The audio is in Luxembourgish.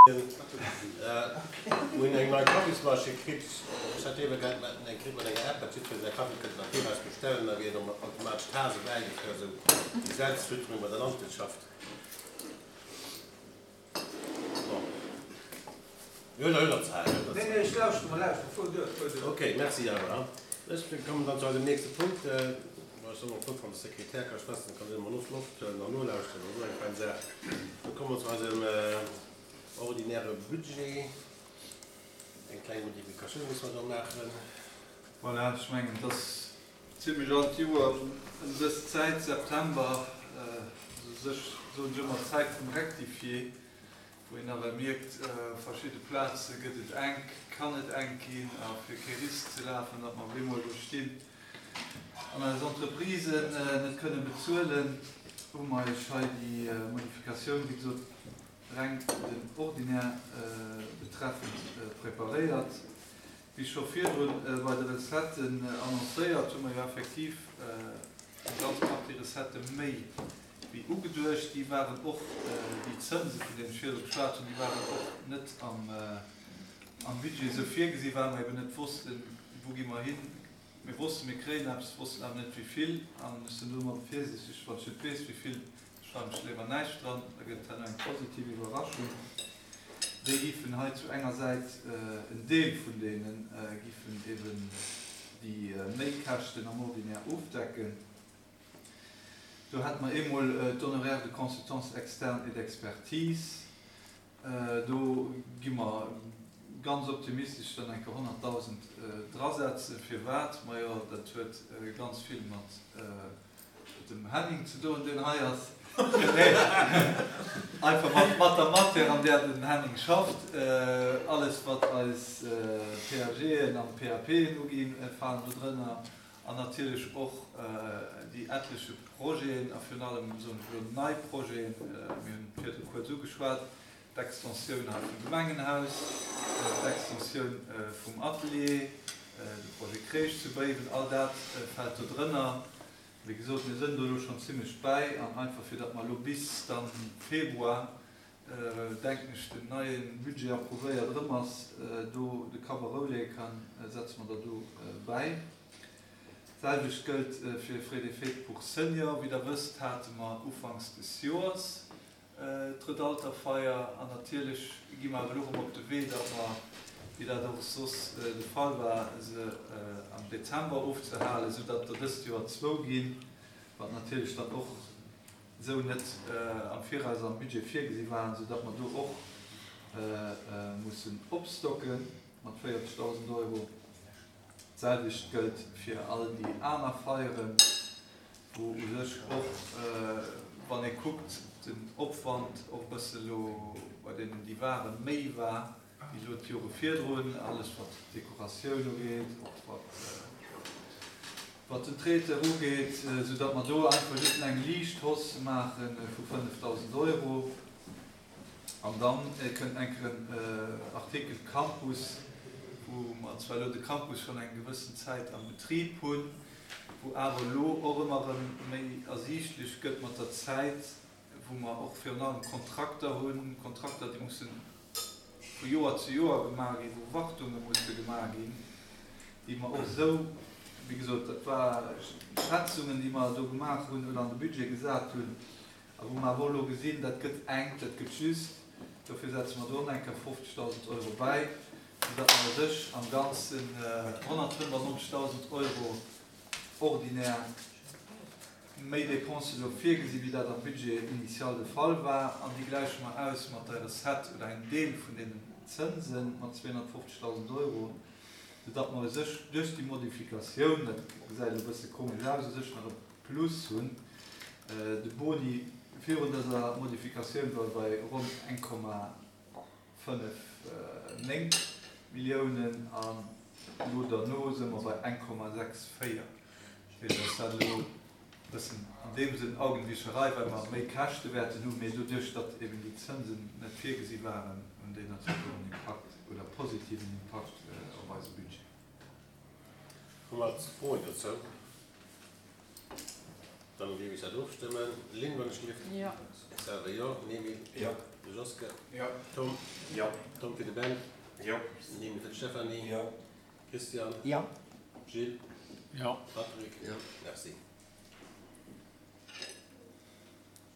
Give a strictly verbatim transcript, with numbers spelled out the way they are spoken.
Mir hunn eng nei Kaffismaschinn kritt. Ech hat ebe grad mat eng kritt mat enger App, dat jiddweree säi Kaffi kënnt am Viraus bestellen, da ginn automatesch Tase bäigefëllt, esou déi Selbstfütterung bei der Landwirtschaft. Bon. Jo, da huet der Zäit, huet der Nee, Zäit. nee, ech lauschteren, mer lauschteren. Fuer duer, fuer duer. Okay, merci awer. Ech kommen dann zu eisem nächste Punkt. Bon, ech soll mol kucken, wann de Sekretär ka schwätzen, kann en emol Loft huelen an nolauschteren, dat ass och eng fein Saach. Da komme mer zu eisem ordinäre Budget. Eng kleng Modifikatioun musse mer do maachen. Voilà, ech mengen, et ass zimlech all d'Joer ëm dës Zäit, September, u sech soen ech ëmmer d'Zäit vum Rectifié, wou een nawell mierkt, op verschidde Plaze gëtt et enk, kann et enk ginn a fir kee Risk ze lafen, datt mer op eemol do stinn an eis Entreprisen net kënne bezuelen, hu mer Iech hei déi Modifikatioun, wéi gesot, reng den Ordinaire betreffend preparéiert. Wéi scho virdrun bei de Recetten annoncéiert, hu mer jo effektiv eng ganz Partie Recettë méi wéi ugeduecht. Déi waren och, déi Zënse vun deenen ech virdru geschwat hunn, déi waren och net am Budget esou virgesi well mer eben net wossten, wou gi mer hin. Mir wossten, mir kréien eppes, wossten awer net wéi vill. An ech sinn do ëmmer virsiichteg, wann ech net weess wéi vill, schreiwen ech léiwer näischt dran, da gëtt et herno eng positiv Iwwerraschung. Déi giffen hei zu enger Säit, en Deel vun deene giffen eben déi Méikäschten am Ordinaire ofdecken. Do hätte mer eemol d'Honoraires de consultance externe et d'expertise. Do gi mer ganz optimistesch dann eng Kéier honnertdausend drasetzen. Firwat? Majo, dat huet ganz vill mat dem Henning ze doen, deen hei ass. Nee, einfach mat, mat der Matière, an där den Henning schafft. Alles, wat eis P A Gen an P A Pen uginn, falen do drënner. An natierlech och déi etleche Projeten, a virun allem, soen ech elo, nei Projeten, mir hunn et virdru kuerz ugeschwat, d'Extensioun hei vum Gemengenhaus, d'Extensioun vum Atelier, de Projet Crèche zu Béiwen, all dat fält do drënner. Wéi gesot, mir sënn do elo schonn zimlech bäi an einfach fir datt mer elo bis dann Februar, denken ech, den neie Budget approuvéiert erëm ass, do de Kapp a Rou leeë kann, setze mer der do bäi. D'selwecht gëllt fir Frais de fête pour seniors. Wéi Der wësst, hate mer ufanks des Joers d'Redalterfeier an natierlech gi mer awer elo erëm op de Wee, datt mer, wéi dat och soss de Fall war, se am Dezember ofzehalen, soudatt der dëst Joer zwou ginn, wat natierlech dann och esou net am Viraus am Budget virgesi waren, soudatt mer do och mussen opstocke mat véierzegdausend Euro. D'selwecht gëllt fir all déi aner Feieren, wou u sech och, wann ee kuckt, den Opwand och e bësse lo bei deenen, déi waren, méi war wéi elo d'Jore virdrun, alles wat d'Dekoratioun ugeet, och wat wat den Traiteur ugeet, soudatt mer do einfach just eng liicht Hausse maache vu fënnefdausend Euro. An dann kënnt enker en Artikel Campus, wou mer zwar elo de Campus schonn eng gewëssen Zäit am Betrib hunn, wou awer elo och ëmmer erëm méi ersiichtlech gëtt mat der Zäit, wou mer och virun allem Kontrakter hunn, Kontrakter, déi mussen vu Joer zu Joer gemaach ginn, wou Wartunge musse gemaach ginn, déi mer och esou, wéi gesot, dat war Schätzungen, déi mer do gemaach hunn oder an de Budget gesat hunn, a wou mer awer och elo gesinn, dat gëtt enk, dat gëtt just. Dofir setze mer do och nach eng Kéier fofzegdausend Euro bäi, soudatt mer u sech am Ganzen honnertfënnefannonzegdausend Euro ordinär méi Dépensen elo virgesinn, wéi dat am Budget initial de Fall war. An déi gläiche mer aus mat der Recette oder engem Deel vun deenen Zënse mat zweehonnertfofzegdausend Euro, soudatt mer u sech duerch déi Modifikatioun, dat gesäit elo e bësse komesch aus, u sech nach e Plus hunn. De Boni virun dëser Modifikatioun war bei ronn eng Komma fënnef néng Milliounen an elo derno si mer bei eng Komma sechs véier. Dat heescht, ass dat elo e bëssen an deem Sënn Augenwischerei, well mer méi Käschte wäerten hunn, mee doduerch, datt eben déi Zënsen net virgesi waren, hunn déi natierlech och en Impakt oder positiven Impakt op eise Budget. Hu mer Froen dozou? Dann géif ech dat ofstëmmen. Lynn, wann ech gelift? Jo. Ech selwer jo. Emil? Jo. Joske? Jo. Tom? Jo. Tom fir de Ben? Jo. Emil fir d'Stéphanie? Jo. Christian? Jo. Gilles? Jo. Patrick? Jo. Merci.